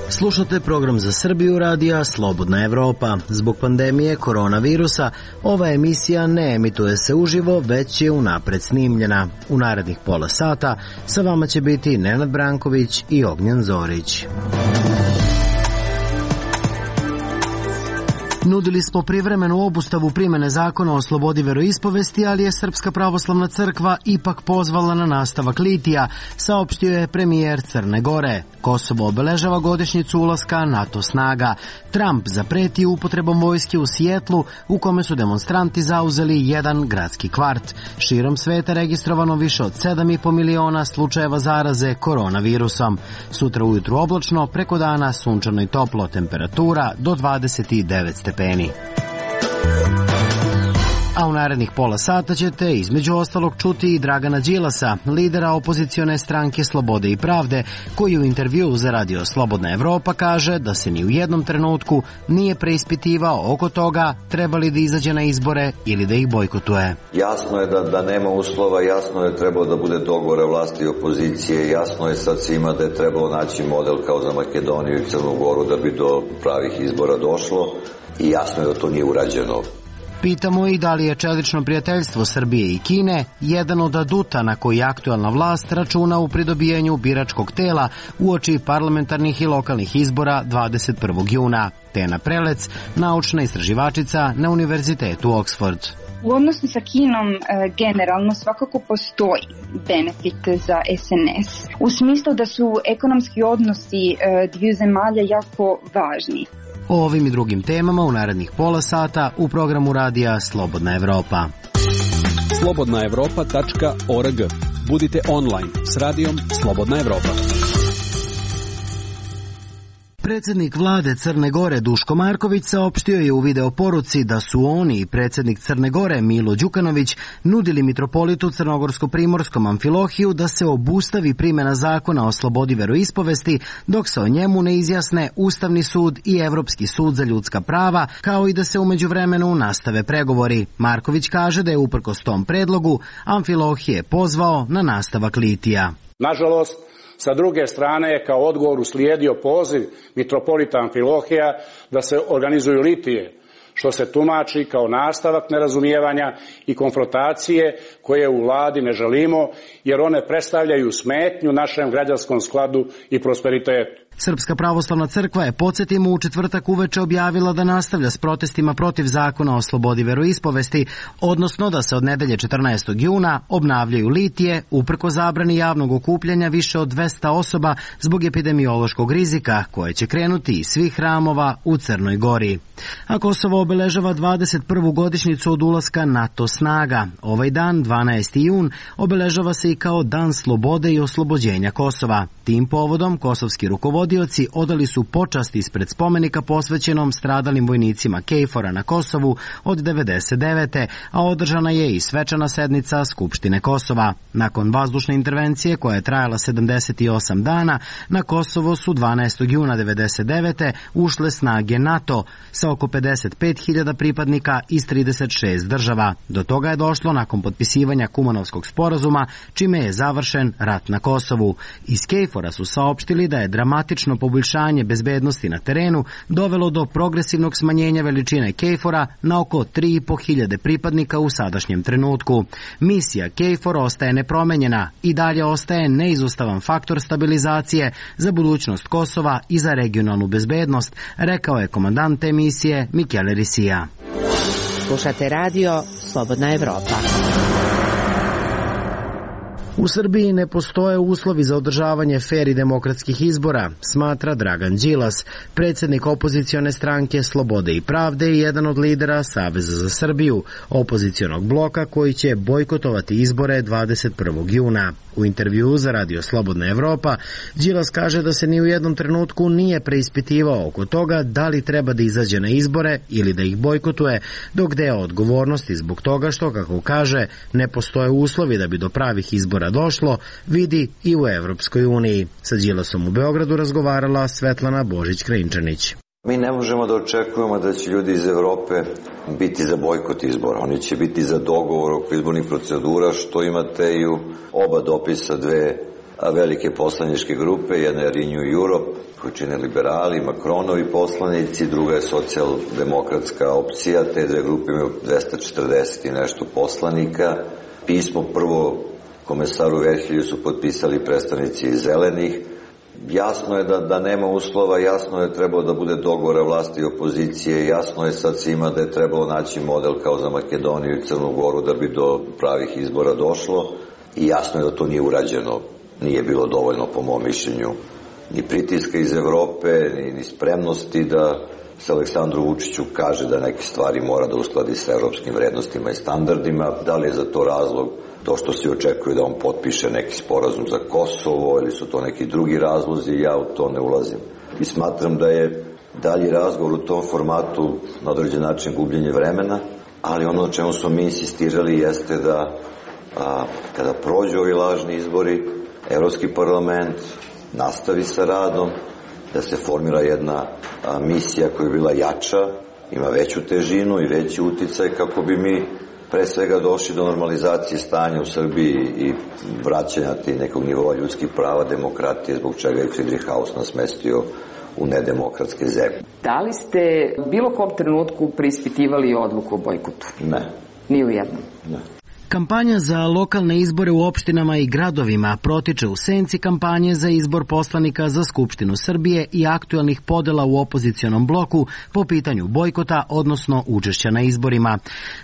Slušate program za Srbiju radija Slobodna Evropa. Zbog pandemije koronavirusa ova emisija ne emituje se uživo, već je unapred snimljena. U narednih pola sata sa vama će biti Nenad Branković i Ognjen Zorić. Nudili smo privremenu obustavu primene zakona o slobodi veroispovesti, ali je Srpska pravoslavna crkva ipak pozvala na nastavak litija, saopštio je premijer Crne Gore. Kosovo obeležava godišnjicu ulaska NATO snaga. Trump zapreti upotrebom vojske u Sijetlu, u kome su demonstranti zauzeli jedan gradski kvart. Širom sveta registrovano više od 7,5 miliona slučajeva zaraze koronavirusom. Sutra ujutru oblačno, preko dana sunčano i toplo, temperatura do 29 stepeni. A u narednih pola sata ćete između ostalog čuti i Dragana Đilasa, lidera opozicione stranke Slobode i pravde, koji u intervjuu za radio Slobodna Evropa kaže da se ni u jednom trenutku nije preispitivao oko toga treba li da izađe na izbore ili da ih bojkotuje. Jasno je da nema uslova, jasno je trebao da bude dogovor vlasti i opozicije, jasno je sad svima da je trebalo naći model kao za Makedoniju i Crnu Goru da bi do pravih izbora došlo i jasno je da to nije urađeno. Pitamo i da li je čelično prijateljstvo Srbije i Kine jedan od aduta na koji aktuelna vlast računa u pridobijanju biračkog tela uoči parlamentarnih i lokalnih izbora 21. juna. Tena Prelec, naučna istraživačica na Univerzitetu Oxford. U odnosu sa Kinom generalno svakako postoji benefit za SNS. U smislu da su ekonomski odnosi dviju zemalja jako važni. O ovim i drugim temama u narednih pola sata u programu radija Slobodna Evropa. slobodnaevropa.org. Budite online s radijom Slobodna Evropa. Predsjednik vlade Crne Gore Duško Marković saopštio je u video poruci da su oni i predsjednik Crne Gore Milo Đukanović nudili mitropolitu crnogorsko-primorskom Amfilohiju da se obustavi primjena zakona o slobodi veroispovesti dok se o njemu ne izjasne Ustavni sud i Evropski sud za ljudska prava, kao i da se u međuvremenu nastave pregovori. Marković kaže da je uprkos tom predlogu Amfilohije pozvao na nastavak litija. Nažalost, sa druge strane je kao odgovor uslijedio poziv mitropolita Amfilohija da se organizuju litije, što se tumači kao nastavak nerazumijevanja i konfrontacije koje u vladi ne želimo, jer one predstavljaju smetnju našem građanskom skladu i prosperitetu. Srpska pravoslavna crkva je, podsjetimo, u četvrtak uveče objavila da nastavlja s protestima protiv zakona o slobodi veroispovesti, odnosno da se od nedelje 14. juna obnavljaju litije uprko zabrani javnog okupljanja više od 200 osoba zbog epidemiološkog rizika koje će krenuti iz svih hramova u Crnoj Gori. A Kosovo obeležava 21. godišnjicu od ulaska NATO snaga. Ovaj dan, 12. jun, obeležava se i kao Dan slobode i oslobođenja Kosova. Tim povodom kosovski rukovodioci odali su počast ispred spomenika posvećenom stradalim vojnicima KFOR-a na Kosovu od 1999. a održana je i svečana sednica Skupštine Kosova. Nakon vazdušne intervencije koja je trajala 78 dana, na Kosovo su 12. juna 1999. ušle snage NATO sa oko 55.000 pripadnika iz 36 država. Do toga je došlo nakon potpisivanja Kumanovskog sporazuma, čime je završen rat na Kosovu. Iz KFOR-a su saopštili da je dramatično poboljšanje bezbednosti na terenu dovelo do progresivnog smanjenja veličine KFOR-a na oko 3.500 pripadnika u sadašnjem trenutku. Misija KFOR ostaje nepromenjena i dalje ostaje neizostavan faktor stabilizacije za budućnost Kosova i za regionalnu bezbednost, rekao je komandant te misije Michele Risija. Slušate radio Slobodna Evropa. U Srbiji ne postoje uslovi za održavanje fer i demokratskih izbora, smatra Dragan Đilas, predsjednik opozicione stranke Slobode i pravde i jedan od lidera Saveza za Srbiju, opozicionog bloka koji će bojkotovati izbore 21. juna. U intervjuu za radio Slobodna Evropa, Đilas kaže da se ni u jednom trenutku nije preispitivao oko toga da li treba da izađe na izbore ili da ih bojkotuje, dok deo odgovornosti zbog toga što, kako kaže, ne postoje uslovi da bi do pravih izbora došlo, vidi i u Evropskoj uniji. Sa Đilasom u Beogradu razgovarala Svetlana Božić-Krajinčanić. Mi ne možemo da očekujemo da će ljudi iz Evrope biti za bojkot izbora. Oni će biti za dogovor oko izbornih procedura, što imate i u oba dopisa dve velike poslaničke grupe. Jedna je Renew Europe, koju čine liberali, Macronovi poslanici, druga je socijaldemokratska opcija. Te dve grupe imaju 240 i nešto poslanika. Pismo prvo komesaru Verhelju su potpisali predstavnici zelenih. Jasno je da nema uslova, jasno je trebalo da bude dogovora vlasti i opozicije, jasno je sad svima da je trebalo naći model kao za Makedoniju i Crnu Goru da bi do pravih izbora došlo i jasno je da to nije urađeno, nije bilo dovoljno po mom mišljenju ni pritiska iz Evrope, ni spremnosti da se Aleksandru Vučiću kaže da neke stvari mora da uskladi sa evropskim vrednostima i standardima. Da li je za to razlog to što se očekuje da on potpiše neki sporazum za Kosovo ili su to neki drugi razlozi, ja u to ne ulazim. I smatram da je dalji razgovor u tom formatu na određen način gubljenje vremena, ali ono o čemu smo mi insistirali jeste da kada prođu ovi lažni izbori, Evropski parlament nastavi sa radom, da se formira jedna misija koja je bila jača, ima veću težinu i veći uticaj kako bi mi pre svega došli do normalizacije stanja u Srbiji i vraćanja nekog nivoa ljudskih prava, demokratije, zbog čega je Friedrich Haus nas smestio u nedemokratske zemlje. Da li ste u bilo kom trenutku preispitivali odluku o bojkotu? Ne. Ni u jednom? Ne. Kampanja za lokalne izbore u opštinama i gradovima protiče u senci kampanje za izbor poslanika za Skupštinu Srbije i aktuelnih podela u opozicionom bloku po pitanju bojkota, odnosno učešća na izborima.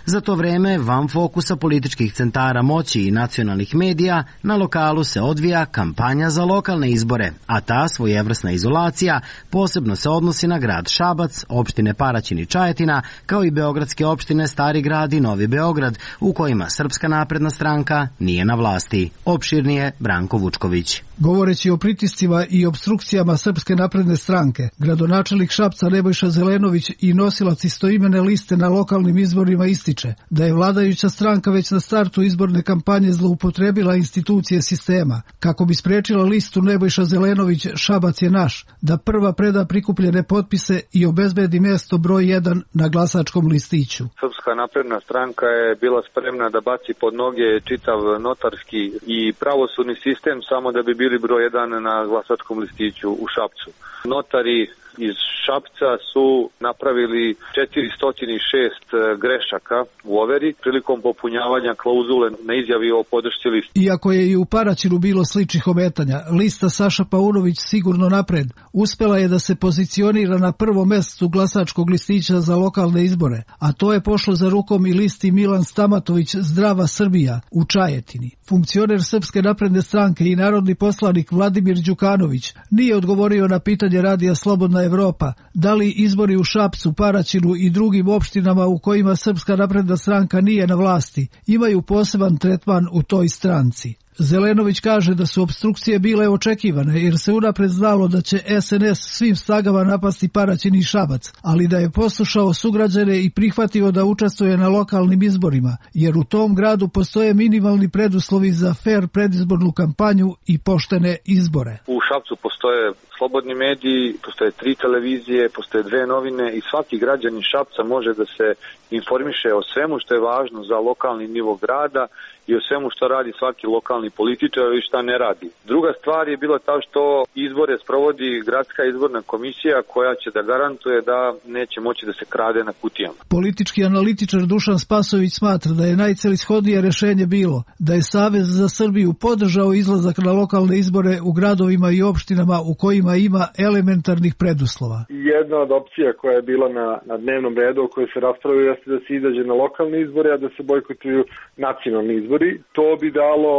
Za to vreme, van fokusa političkih centara moći i nacionalnih medija, na lokalu se odvija kampanja za lokalne izbore, a ta svojevrsna izolacija posebno se odnosi na grad Šabac, opštine Paraćin i Čajetina, kao i beogradske opštine Stari grad i Novi Beograd, u kojima Srpska napredna stranka nije na vlasti. Opširnije Branko Vučković. Govoreći o pritiscima i obstrukcijama Srpske napredne stranke, gradonačelnik Šapca Nebojša Zelenović i nosilac istoimene liste na lokalnim izborima ističe da je vladajuća stranka već na startu izborne kampanje zloupotrebila institucije sistema kako bi sprečila listu Nebojša Zelenović Šabac je naš, da prva preda prikupljene potpise i obezbedi mjesto broj 1 na glasačkom listiću. Srpska napredna stranka je bila spremna da baci pod noge čitav notarski i pravosudni sistem samo da bi bili broj 1 na glasačkom listiću u Šapcu. Notari iz Šapca su napravili 406 grešaka u overi prilikom popunjavanja klauzule na izjavi o podršci listi. Iako je i u Paraćinu bilo sličnih ometanja, lista Saša Paunović sigurno napred uspela je da se pozicionira na prvom mestu glasačkog listića za lokalne izbore, a to je pošlo za rukom i listi Milan Stamatović Zdrava Srbija u Čajetini. Funkcioner Srpske napredne stranke i narodni poslanik Vladimir Đukanović nije odgovorio na pitanje radija Slobodna Evropa, da li izbori u Šapcu, Paraćinu i drugim opštinama u kojima Srpska napredna stranka nije na vlasti imaju poseban tretman u toj stranci. Zelenović kaže da su obstrukcije bile očekivane jer se unapred znalo da će SNS svim snagama napasti Paraćin i Šabac, ali da je poslušao sugrađane i prihvatio da učestvuje na lokalnim izborima, jer u tom gradu postoje minimalni preduslovi za fer predizbornu kampanju i poštene izbore. U Šapcu postoje slobodni mediji, postoje 3 televizije, postoje 2 novine i svaki građanin Šapca može da se informiše o svemu što je važno za lokalni nivo grada i o svemu što radi svaki lokalni političar i šta ne radi. Druga stvar je bila ta što izbore sprovodi gradska izborna komisija koja će da garantuje da neće moći da se krade na kutijama. Politički analitičar Dušan Spasović smatra da je najcelishodnije rešenje bilo da je Savez za Srbiju podržao izlazak na lokalne izbore u gradovima i opštinama u kojima ima elementarnih preduslova. Jedna od opcija koja je bila na dnevnom redu o kojoj se raspravlja jeste da se izađe na lokalne izbore, a da se bojkotuju nacionalni izbori. To bi dalo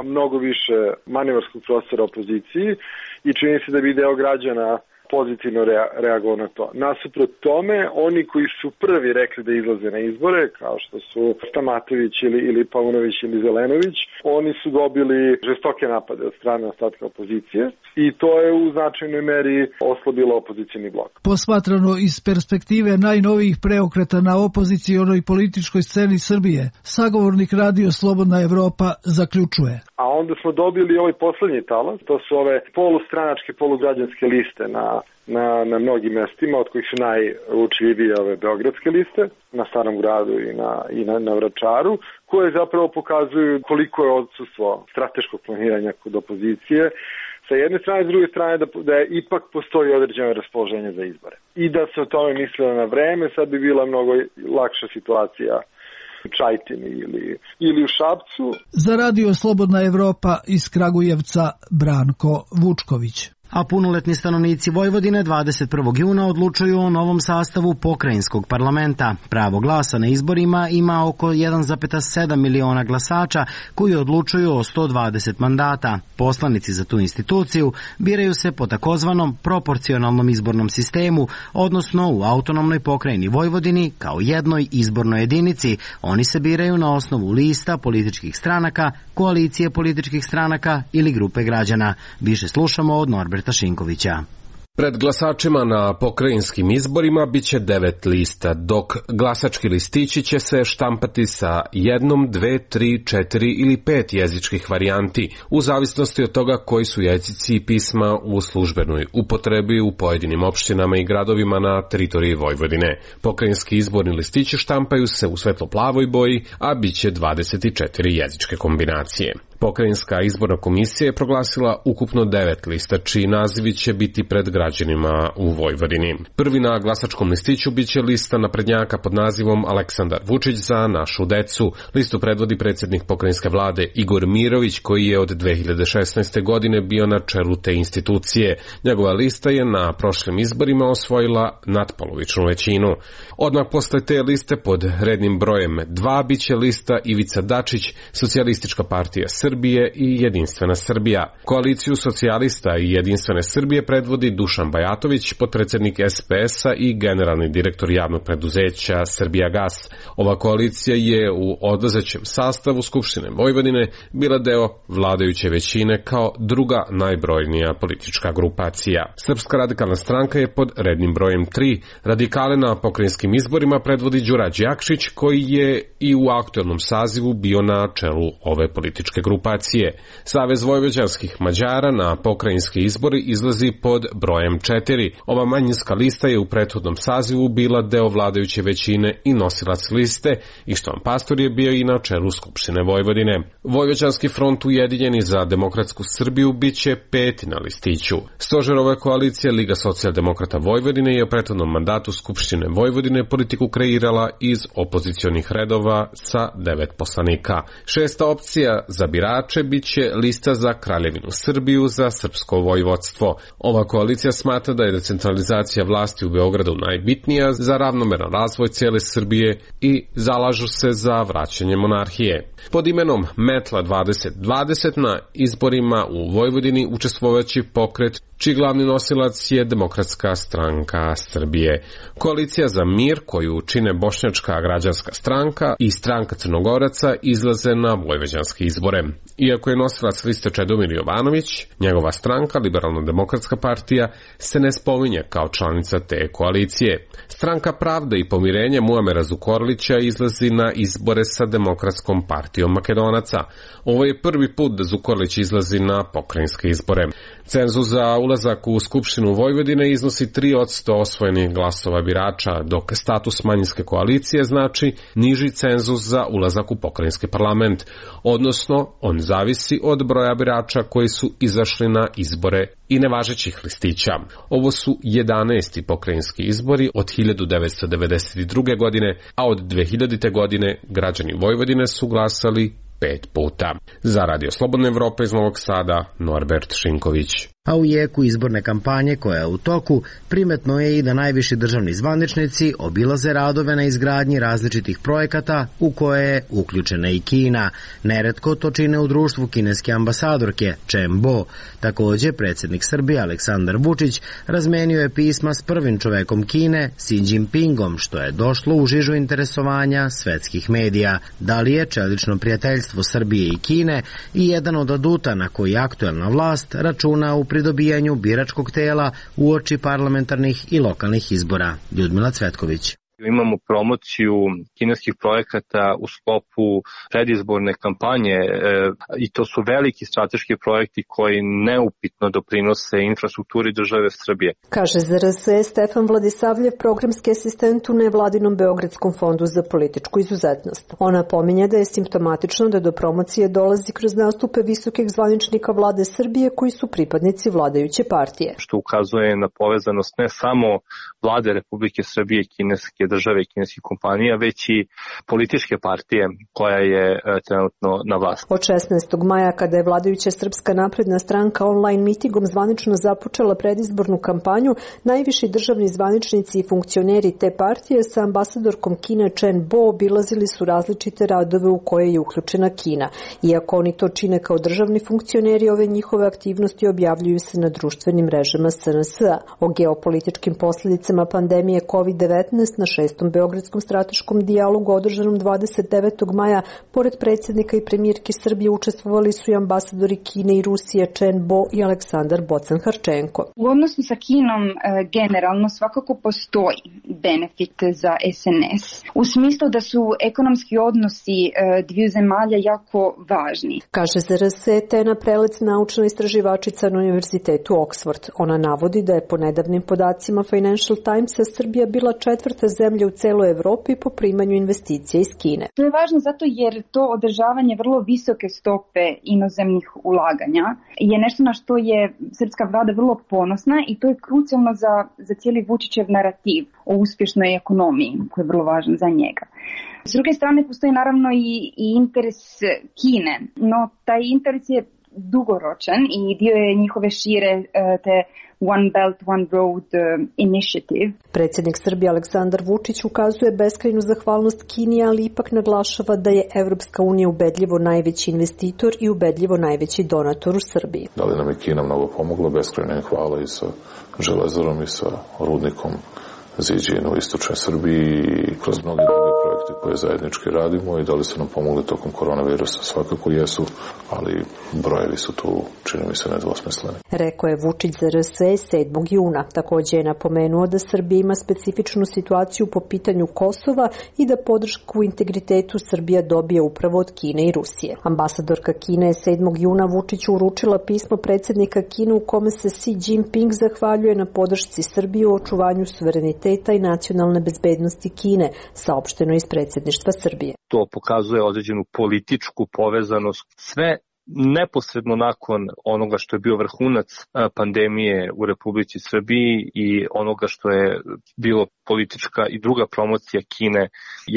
mnogo više manevarskog prostora opoziciji i čini se da bi deo građana pozitivno reagovao na to. Nasuprot tome, oni koji su prvi rekli da izlaze na izbore, kao što su Stamatović ili Paunović ili Zelenović, oni su dobili žestoke napade od strane ostatka opozicije. i to je u značajnoj meri oslabilo opozicioni blok. Posmatrano iz perspektive najnovijih preokreta na opozicionoj političkoj sceni Srbije, sagovornik Radio Slobodna Evropa zaključuje. A onda smo dobili ovaj poslednji talas, to su ove polustranačke, polugrađanske liste na mnogim mestima, od kojih su najuočljivije ove beogradske liste, na Starom gradu i na Vračaru, koje zapravo pokazuju koliko je odsustvo strateškog planiranja kod opozicije, sa jedne strane, s druge strane da je ipak postoji određeno raspoloženje za izbore. I da se o tome mislilo na vreme, sad bi bila mnogo lakša situacija u Čajtini ili u Šapcu. Za Radio Slobodna Evropa iz Kragujevca Branko Vučković. A punoletni stanovnici Vojvodine 21. juna odlučuju o novom sastavu pokrajinskog parlamenta. Pravo glasa na izborima ima oko 1,7 miliona glasača koji odlučuju o 120 mandata. Poslanici za tu instituciju biraju se po takozvanom proporcionalnom izbornom sistemu, odnosno u autonomnoj pokrajini Vojvodini kao jednoj izbornoj jedinici. Oni se biraju na osnovu lista političkih stranaka, koalicije političkih stranaka ili grupe građana. Više slušamo od Norberta Šinkovića. Pred glasačima na pokrajinskim izborima biće 9 lista, dok glasački listići će se štampati sa 1, 2, 3, 4 ili 5 jezičkih varijanti, u zavisnosti od toga koji su jezici i pisma u službenoj upotrebi u pojedinim opštinama i gradovima na teritoriji Vojvodine. Pokrajinski izborni listići štampaju se u svetlo-plavoj boji, a biće 24 jezičke kombinacije. Pokrajinska izborna komisija je proglasila ukupno 9 lista, čiji nazivi će biti pred građanima u Vojvodini. Prvi na glasačkom listiću biće lista naprednjaka pod nazivom Aleksandar Vučić za našu decu. Listu predvodi predsjednik pokrajinske vlade Igor Mirović, koji je od 2016. godine bio na čelu te institucije. Njegova lista je na prošlim izborima osvojila natpolovičnu većinu. Odmah posle te liste pod rednim brojem 2 biće lista Ivica Dačić, Socijalistička partija Srbije i Jedinstvena Srbija. Koaliciju socijalista i Jedinstvene Srbije predvodi Dušan Bajatović, potpredsjednik SPS-a i generalni direktor javnog preduzeća Srbijagas. Ova koalicija je u odlazećem sastavu Skupštine Vojvodine bila deo vladajuće većine kao druga najbrojnija politička grupacija. Srpska radikalna stranka je pod rednim brojem 3. Radikale na pokrajinskim izborima predvodi Đura Đakšić, koji je i u aktuelnom sazivu bio na čelu ove političke grupacije. Savez vojvođanskih Mađara na pokrajinski izbori izlazi pod brojem 4. Ova manjinska lista je u prethodnom sazivu bila deo vladajuće većine i nosilac liste, i Štovan Pastor je bio i na čelu Skupštine Vojvodine. Vojvođanski front Ujedinjeni za demokratsku Srbiju biće 5. na listiću. Stožer ove koalicije Liga socijaldemokrata Vojvodine je u prethodnom mandatu Skupštine Vojvodine politiku kreirala iz opozicionih redova sa 9 poslanika. 6. opcija za birače biće lista za Kraljevinu Srbiju za srpsko vojvodstvo. Ova koalicija smatra da je decentralizacija vlasti u Beogradu najbitnija za ravnomeran razvoj cijele Srbije i zalažu se za vraćanje monarhije. Pod imenom Metla 2020 na izborima u Vojvodini učestvovaće pokret čiji glavni nosilac je Demokratska stranka Srbije. Koalicija za mir, koju čine Bošnjačka građanska stranka i stranka Crnogoraca, izlaze na vojvođanske izbore. Iako je nosilac liste Čedomir Jovanović, njegova stranka, Liberalno-demokratska partija, se ne spominje kao članica te koalicije. Stranka Pravda i pomirenje Muamera Zukorlića izlazi na izbore sa Demokratskom partijom Makedonaca. Ovo je prvi put da Zukorlić izlazi na pokrajinske izbore. Cenzus za ulazak u Skupštinu Vojvodine iznosi 3% osvojenih glasova birača, dok status manjinske koalicije znači niži cenzus za ulazak u pokrajinski parlament, odnosno on zavisi od broja birača koji su izašli na izbore i nevažećih listića. Ovo su 11. pokrajinski izbori od 1992. godine, a od 2000. godine građani Vojvodine su glasali 5 puta. Za Radio Slobodna Evropa iz Novog Sada, Norbert Šinković. A u jeku izborne kampanje koja je u toku, primetno je i da najviši državni zvaničnici obilaze radove na izgradnji različitih projekata u koje je uključena i Kina. Neretko to čine u društvu kineske ambasadorke Chen Bo. Također, predsjednik Srbije Aleksandar Vučić razmenio je pisma s prvim čovekom Kine, Xi Jinpingom, što je došlo u žižu interesovanja svetskih medija. Da li je čelično prijateljstvo Srbije i Kine i jedan od aduta na koji aktuelna vlast računa u pri dobijanju biračkog tela uoči parlamentarnih i lokalnih izbora. Ljudmila Cvetković. Imamo promociju kineskih projekata u sklopu predizborne kampanje i to su veliki strateški projekti koji neupitno doprinose infrastrukturi države Srbije. Kaže za RS Stefan Vladisavljev, programski asistent u nevladinom Beogradskom fondu za političku izuzetnost. Ona pominje da je simptomatično da do promocije dolazi kroz nastupe visokih zvaničnika vlade Srbije koji su pripadnici vladajuće partije. Što ukazuje na povezanost ne samo vlade Republike Srbije i kineske države i kineskih kompanija, već i političke partije koja je trenutno na vlasti. Od 16. maja, kada je vladajuća Srpska napredna stranka online mitingom zvanično započela predizbornu kampanju, najviši državni zvaničnici i funkcioneri te partije sa ambasadorkom Kine Chen Bo obilazili su različite radove u koje je uključena Kina. Iako oni to čine kao državni funkcioneri, ove njihove aktivnosti objavljuju se na društvenim mrežama SNS-a. O geopolitičkim posljedicama pandemije COVID-19 na 6. Beogradskom strateškom dijalogu održanom 29. maja, pored predsjednika i premijerke Srbije učestvovali su i ambasadori Kine i Rusije Chen Bo i Aleksandar Bocan-Harčenko. U odnosu sa Kinom generalno svakako postoji benefit za SNS, u smislu da su ekonomski odnosi dviju zemalja jako važni. Kaže za RS Tena Prelec, naučna istraživačica na Univerzitetu Oxford. Ona navodi da je po nedavnim podacima Financial Timesa Srbija bila 4. zemlja u celoj Evropi po primanju investicija iz Kine. To je važno zato jer to održavanje vrlo visoke stope inozemnih ulaganja je nešto na što je srpska vlada vrlo ponosna i to je krucijalno za cijeli Vučićev narativ o uspješnoj ekonomiji koji je vrlo važan za njega. S druge strane postoji naravno i interes Kine, no taj interes je dugoročan i dio je njihove šire te One Belt, One Road initiative. Predsjednik Srbije Aleksandar Vučić ukazuje beskrajnu zahvalnost Kini, ali ipak naglašava da je Evropska unija ubedljivo najveći investitor i ubedljivo najveći donator u Srbiji. Da li nam je Kina mnogo pomogla? Beskrajna hvala i sa železarom i sa rudnikom Ziđin u istočnoj Srbiji i kroz mnoge druge projekte koje zajednički radimo i da li su nam pomogli tokom koronavirusa, svakako jesu, ali brojevi su tu, čini mi se, nedvosmisleni. Rekao je Vučić za RS 7. juna. Također je napomenuo da Srbija ima specifičnu situaciju po pitanju Kosova i da podršku integritetu Srbija dobije upravo od Kine i Rusije. Ambasadorka Kine je 7. juna Vučiću uručila pismo predsjednika Kine u kome se Xi Jinping zahvaljuje na podršci Srbije u očuvanju suvereniteta i nacionalne bezbednosti Kine, saopšteno iz predsjedništva Srbije. To pokazuje određenu političku povezanost. Sve neposredno nakon onoga što je bio vrhunac pandemije u Republici Srbiji i onoga što je bilo politička i druga promocija Kine,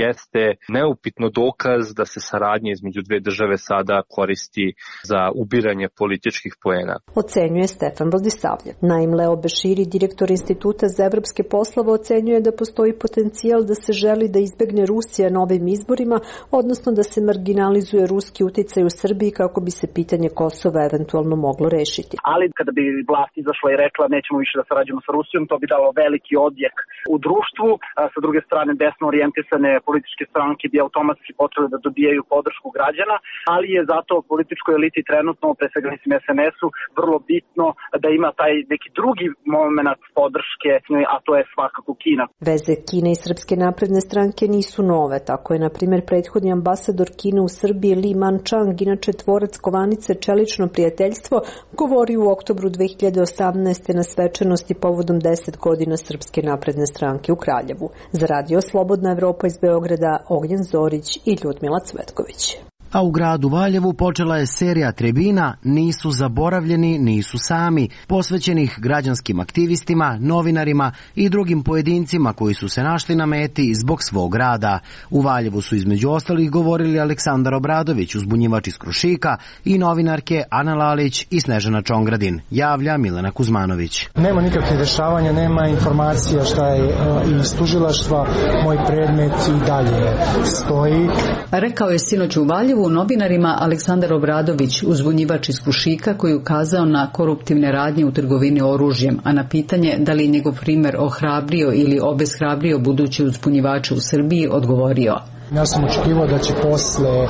jeste neupitno dokaz da se saradnja između dve države sada koristi za ubiranje političkih poena. Ocenjuje Stefan Vladisavljev. Naim Leo Beširi, direktor Instituta za evropske poslove, ocenjuje da postoji potencijal da se želi da izbegne Rusija na ovim izborima, odnosno da se marginalizuje ruski uticaj u Srbiji kako bi se pitanje Kosova eventualno moglo rešiti. Ali kada bi vlast izašla i rekla nećemo više da sarađujemo sa Rusijom, to bi dalo veliki odjek u društvu. Sa druge strane, desno orijentisane političke stranke bi automatski potrebne da dobijaju podršku građana, ali je zato političkoj eliti trenutno, pre svega mislim SNS-u, vrlo bitno da ima taj neki drugi moment podrške, a to je svakako Kina. Veze Kine i Srpske napredne stranke nisu nove. Tako je, na primjer, prethodni ambasador Kine u Srbiji Li Manchang, inače tvorac kovanice Čelično prijateljstvo, govorio u oktobru 2018. na svečanosti povodom 10 godina Srpske napredne stranke u Kraljevu. Za Radio Slobodna Evropa iz Beograda, Ognjen Zorić i Ljudmila Cvetković. A u gradu Valjevu počela je serija tribina Nisu zaboravljeni, nisu sami, posvećenih građanskim aktivistima, novinarima i drugim pojedincima koji su se našli na meti zbog svog rada. U Valjevu su između ostalih govorili Aleksandar Obradović, uzbunjivač iz Krušika, i novinarke Ana Lalić i Snežana Čongradin, javlja Milena Kuzmanović. Nema nikakve dešavanja, nema informacija šta je iz tužilaštva, moj predmet i dalje stoji. Rekao je sinoć u Valjevu novinarima Aleksandar Obradović, uzbunjivač iz Krušika, koji je ukazao na koruptivne radnje u trgovini oružjem, a na pitanje da li je njegov primer ohrabrio ili obeshrabrio buduće uzbunjivače u Srbiji odgovorio: Ja sam očekivao da će posle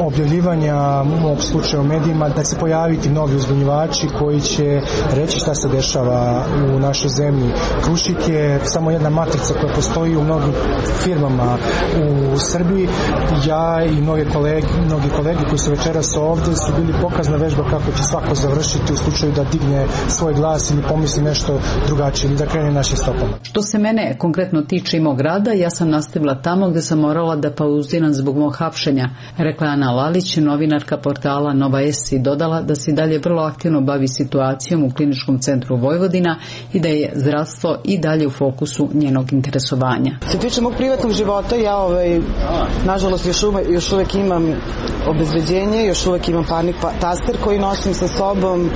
objavljivanja mog slučaja u medijima da se pojaviti novi uzbunjivači koji će reći šta se dešava u našoj zemlji. Krušik je samo jedna matrica koja postoji u mnogim firmama u Srbiji. Ja i mnogi kolege koji su večeras ovde su bili pokazna vežba kako će svako završiti u slučaju da digne svoj glas ili pomisli nešto drugačije ili da krene našim stopama. Što se mene konkretno tiče i mog rada, ja sam nastavila tamo gde sam morala da pauziram zbog mog hapšenja, rekla Ana Lalić, novinarka portala Nova S, i dodala da se dalje vrlo aktivno bavi situacijom u Kliničkom centru Vojvodina i da je zdravstvo i dalje u fokusu njenog interesovanja. Se tiče mog privatnog života, ja nažalost još uvek imam obezbeđenje, još uvek imam parnik taster koji nosim sa sobom.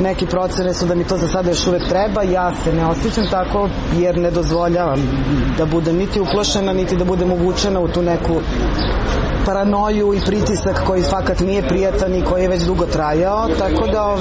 Neki procene su da mi to za sada još uvek treba. Ja se ne osjećam tako jer ne dozvoljavam da budem niti uplašena, niti da budem uvučena u tu neku paranoju i pritisak koji fakat nije prijatan i koji je već dugo trajao, tako da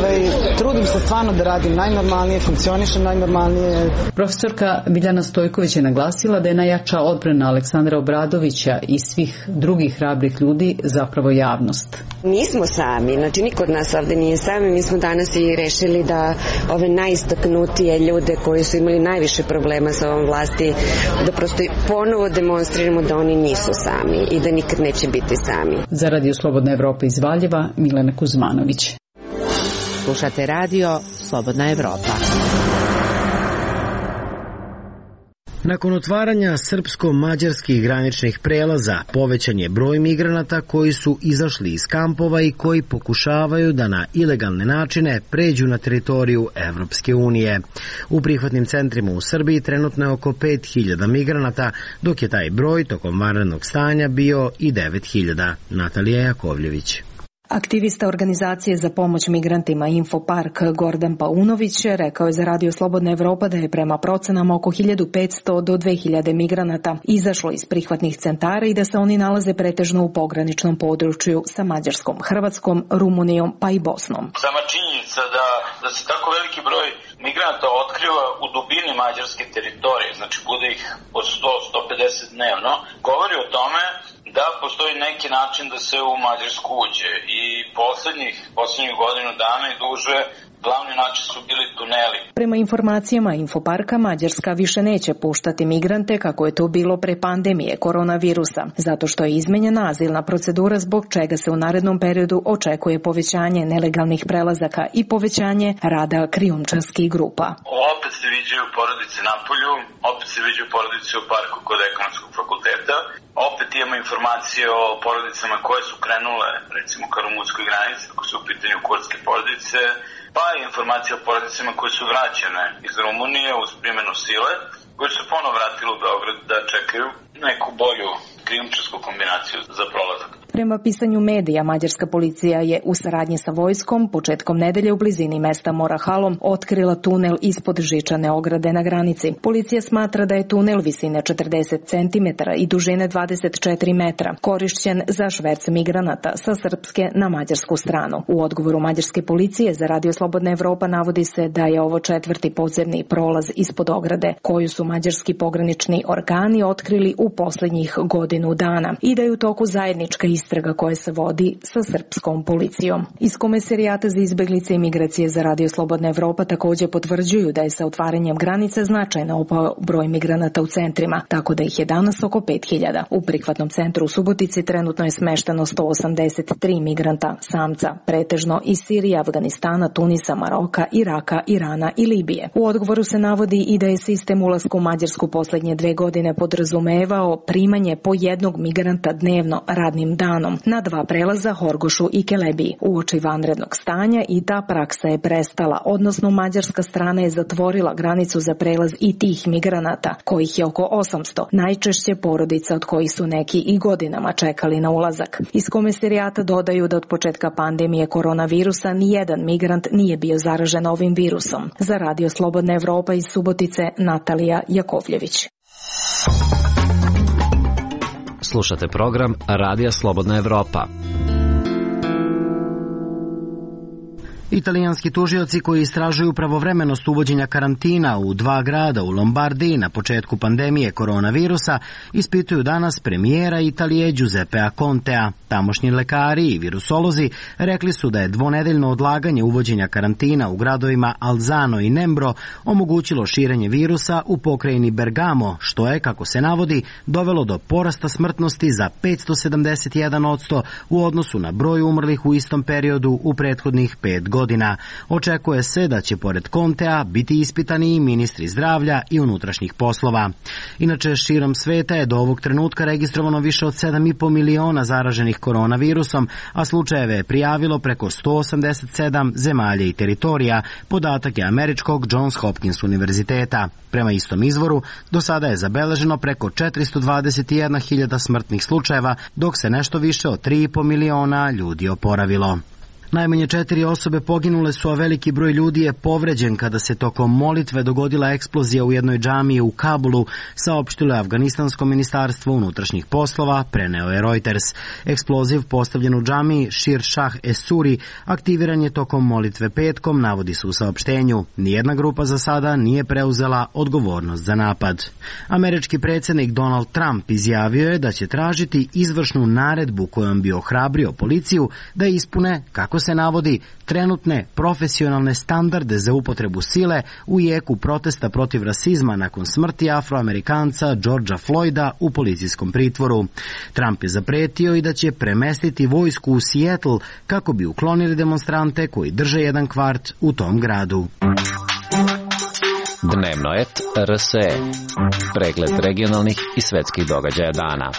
trudim se stvarno da radim najnormalnije, funkcionišem najnormalnije. Profesorka Biljana Stojković je naglasila da je najjača odbrana Aleksandra Obradovića i svih drugih hrabrih ljudi zapravo javnost. Nismo sami, znači niko od nas ovde nije sami, mi smo danas i rešili da ove najistaknutije ljude koji su imali najviše problema sa ovom vlasti, da prosto ponovo demonstriramo da oni nisu sami i da nikad neće biti sami. Za Radio Slobodna Evropa iz Valjeva, Milena Kuzmanović. Slušate Radio Slobodna Evropa. Nakon otvaranja srpsko-mađarskih graničnih prelaza, povećan je broj migranata koji su izašli iz kampova i koji pokušavaju da na ilegalne načine pređu na teritoriju Evropske unije. U prihvatnim centrima u Srbiji trenutno je oko 5.000 migranata, dok je taj broj tokom vanrednog stanja bio i 9.000. Natalija Jakovljević. Aktivista organizacije za pomoć migrantima Infopark Gordan Paunović rekao je za Radio Slobodna Evropa da je prema procenama oko 1500 do 2000 migranata izašlo iz prihvatnih centara i da se oni nalaze pretežno u pograničnom području sa Mađarskom, Hrvatskom, Rumunijom pa i Bosnom. Sama činjenica da se tako veliki broj migranata otkriva u dubini mađarske teritorije, znači bude ih od 100-150 dnevno, govori o tome da postoji neki način da se u Mađarsku uđe i poslednjih godinu dana i duže glavni način su bili tuneli. Prema informacijama Infoparka, Mađarska više neće puštati migrante kako je to bilo pre pandemije koronavirusa, zato što je izmenjena azilna procedura zbog čega se u narednom periodu očekuje povećanje nelegalnih prelazaka i povećanje rada krijumčarskih grupa. Opet se viđaju porodice na polju, opet se viđaju porodice u parku kod ekonomskog fakulteta, opet imamo informacije o porodicama koje su krenule, recimo ka rumunskoj granici, ako su u pitanju kurdske porodice, pa i informacije o porodicama koje su vraćene iz Rumunije uz primjenu sile, koji su ponovo vratili u Beograd da čekaju neku bolju krijumčarsku kombinaciju za prolazak. Prema pisanju medija, mađarska policija je u saradnji sa vojskom početkom nedelje u blizini mesta Morahalom otkrila tunel ispod žičane ograde na granici. Policija smatra da je tunel visine 40 cm i dužine 24 metra korišćen za šverc migranata sa srpske na mađarsku stranu. U odgovoru mađarske policije za Radio Slobodna Evropa navodi se da je ovo 4. podzemni prolaz ispod ograde koju su mađarski pogranični organi otkrili u poslednjih godinu dana i da je u toku zajednička istraga koja se vodi sa srpskom policijom. Iz Komesarijata za izbeglice i migracije za Radio Slobodna Evropa također potvrđuju da je sa otvaranjem granica značajno opao broj migranata u centrima, tako da ih je danas oko 5.000. U prihvatnom centru u Subotici trenutno je smešteno 183 migranta, samca, pretežno iz Sirije, Afganistana, Tunisa, Maroka, Iraka, Irana i Libije. U odgovoru se navodi i da je sistem ulaska u Mađarsku poslednje 2 godine podrazumevao primanje po jednog migranta dnevno radnim danom na 2 prelaza Horgošu i Kelebiji. Uoči vanrednog stanja i ta praksa je prestala, odnosno mađarska strana je zatvorila granicu za prelaz i tih migranata, kojih je oko 800, najčešće porodica od kojih su neki i godinama čekali na ulazak. Iz Komesarijata dodaju da od početka pandemije koronavirusa nijedan migrant nije bio zaražen ovim virusom. Za Radio Slobodna Evropa iz Subotice, Natalija Jakovljević. Slušate program Radija Slobodna Evropa. Italijanski tužioci koji istražuju pravovremenost uvođenja karantina u 2 grada u Lombardiji na početku pandemije koronavirusa ispituju danas premijera Italije Giuseppea Contea. Tamošnji lekari i virusolozi rekli su da je dvonedeljno odlaganje uvođenja karantina u gradovima Alzano i Nembro omogućilo širenje virusa u pokrajini Bergamo, što je, kako se navodi, dovelo do porasta smrtnosti za 571% u odnosu na broj umrlih u istom periodu u prethodnih 5 godina. Očekuje se da će pored Contea biti ispitani i ministri zdravlja i unutrašnjih poslova. Inače, širom sveta je do ovog trenutka registrovano više od 7,5 miliona zaraženih koronavirusom, a slučajeve je prijavilo preko 187 zemalja i teritorija, podatak je američkog Johns Hopkins univerziteta. Prema istom izvoru, do sada je zabeleženo preko 421.000 smrtnih slučajeva, dok se nešto više od 3,5 miliona ljudi oporavilo. Najmanje 4 osobe poginule su, a veliki broj ljudi je povređen kada se tokom molitve dogodila eksplozija u jednoj džamiji u Kabulu, saopštilo je Afganistansko ministarstvo unutrašnjih poslova, preneo je Reuters. Eksploziv postavljen u džamiji Shir Shah Esuri aktiviran je tokom molitve petkom, navodi se u saopštenju. Nijedna grupa za sada nije preuzela odgovornost za napad. Američki predsjednik Donald Trump izjavio je da će tražiti izvršnu naredbu kojom bi ohrabrio policiju da ispune, kako se navodi, trenutne profesionalne standarde za upotrebu sile u jeku protesta protiv rasizma nakon smrti Afroamerikanca Georgea Floyda u policijskom pritvoru. Trump je zapretio i da će premestiti vojsku u Seattle kako bi uklonili demonstrante koji drže jedan kvart u tom gradu. Dnevnoet RSE. Pregled regionalnih i svetskih događaja dana.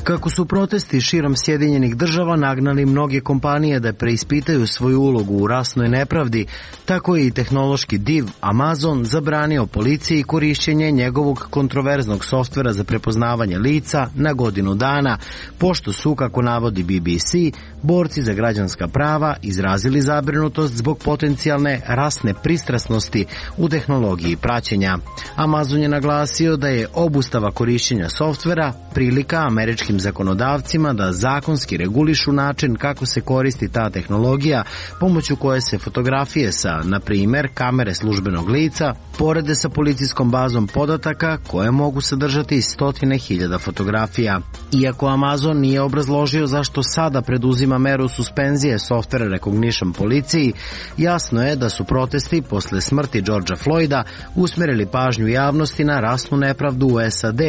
Kako su protesti širom Sjedinjenih država nagnali mnoge kompanije da preispitaju svoju ulogu u rasnoj nepravdi, tako je i tehnološki div Amazon zabranio policiji korišćenje njegovog kontroverznog softvera za prepoznavanje lica na godinu dana, pošto su, kako navodi BBC, borci za građanska prava izrazili zabrinutost zbog potencijalne rasne pristrasnosti u tehnologiji praćenja. Amazon je naglasio da je obustava korišćenja softvera prilika američkim zakonodavcima da zakonski regulišu način kako se koristi ta tehnologija, pomoću koje se fotografije sa, na primjer, kamere službenog lica porede sa policijskom bazom podataka koje mogu sadržati 100.000 fotografija. Iako Amazon nije obrazložio zašto sada preduzima meru suspenzije softvera recognition policiji, jasno je da su protesti posle smrti Georgea Floyda usmerili pažnju javnosti na rasnu nepravdu u SAD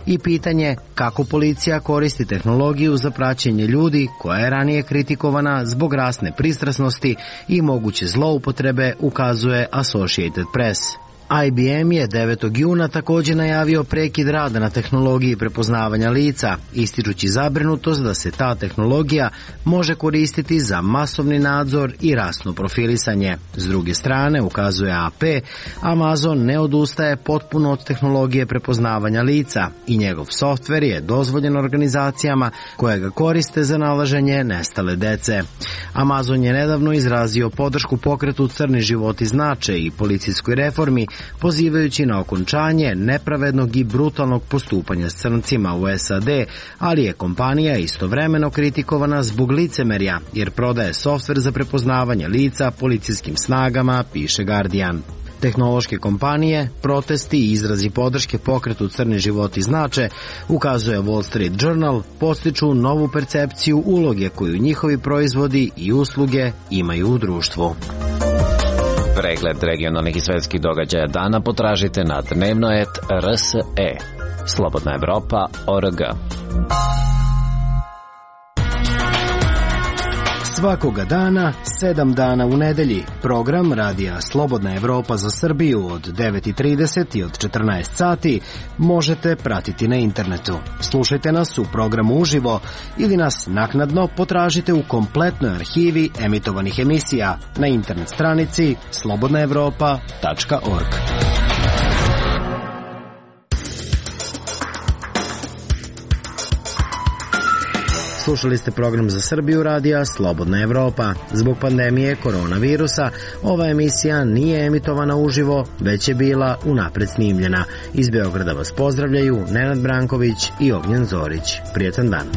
i pitanje kako policija koristi tehnologiju za praćenje ljudi koja je ranije kritikovana zbog rasne pristrasnosti i moguće zloupotrebe, ukazuje Associated Press. IBM je 9. juna također najavio prekid rada na tehnologiji prepoznavanja lica, ističući zabrinutost da se ta tehnologija može koristiti za masovni nadzor i rasno profilisanje. S druge strane, ukazuje AP, Amazon ne odustaje potpuno od tehnologije prepoznavanja lica i njegov softver je dozvoljen organizacijama koje ga koriste za nalaženje nestale dece. Amazon je nedavno izrazio podršku pokretu Crni životi znače i policijskoj reformi, pozivajući na okončanje nepravednog i brutalnog postupanja s crncima u SAD, ali je kompanija istovremeno kritikovana zbog licemerja, jer prodaje softver za prepoznavanje lica policijskim snagama, piše Guardian. Tehnološke kompanije, protesti i izrazi podrške pokretu Crni životi znače, ukazuje Wall Street Journal, postiču novu percepciju uloge koju njihovi proizvodi i usluge imaju u društvu. Pregled regionalnih i svetskih događaja dana potražite na Dnevnoet RSE. Slobodna Evropa.org. Svakoga dana, 7 dana u nedelji. Program radija Slobodna Evropa za Srbiju od 9:30 i od 14 sati možete pratiti na internetu. Slušajte nas u programu uživo ili nas naknadno potražite u kompletnoj arhivi emitovanih emisija na internet stranici slobodnaevropa.org. Slušali ste program za Srbiju radija Slobodna Evropa. Zbog pandemije koronavirusa ova emisija nije emitovana uživo, već je bila unapred snimljena. Iz Beograda vas pozdravljaju Nenad Branković i Ognjen Zorić. Prijetan dan.